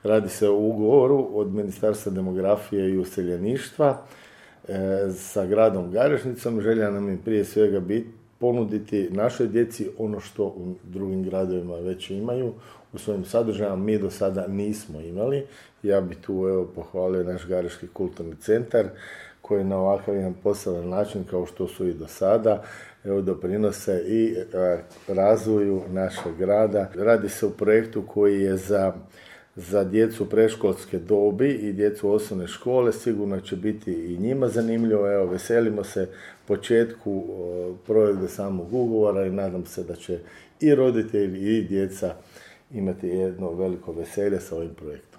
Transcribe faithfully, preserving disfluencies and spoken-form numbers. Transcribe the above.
Radi se o ugovoru od Ministarstva demografije i useljeništva e, sa gradom Garešnicom. Želja nam je prije svega biti ponuditi našoj djeci ono što u drugim gradovima već imaju u svojim sadržajima. Mi do sada nismo imali. Ja bi tu evo pohvalio naš Gareški kulturni centar koji na ovakav jedan poseban način, kao što su i do sada, evo, doprinose i e, razvoju našeg grada. Radi se o projektu koji je za, za djecu predškolske dobi i djecu osnovne škole. Sigurno će biti i njima zanimljivo. Evo, veselimo se početku e, provedbe samog ugovora i nadam se da će i roditelji i djeca imati jedno veliko veselje sa ovim projektom.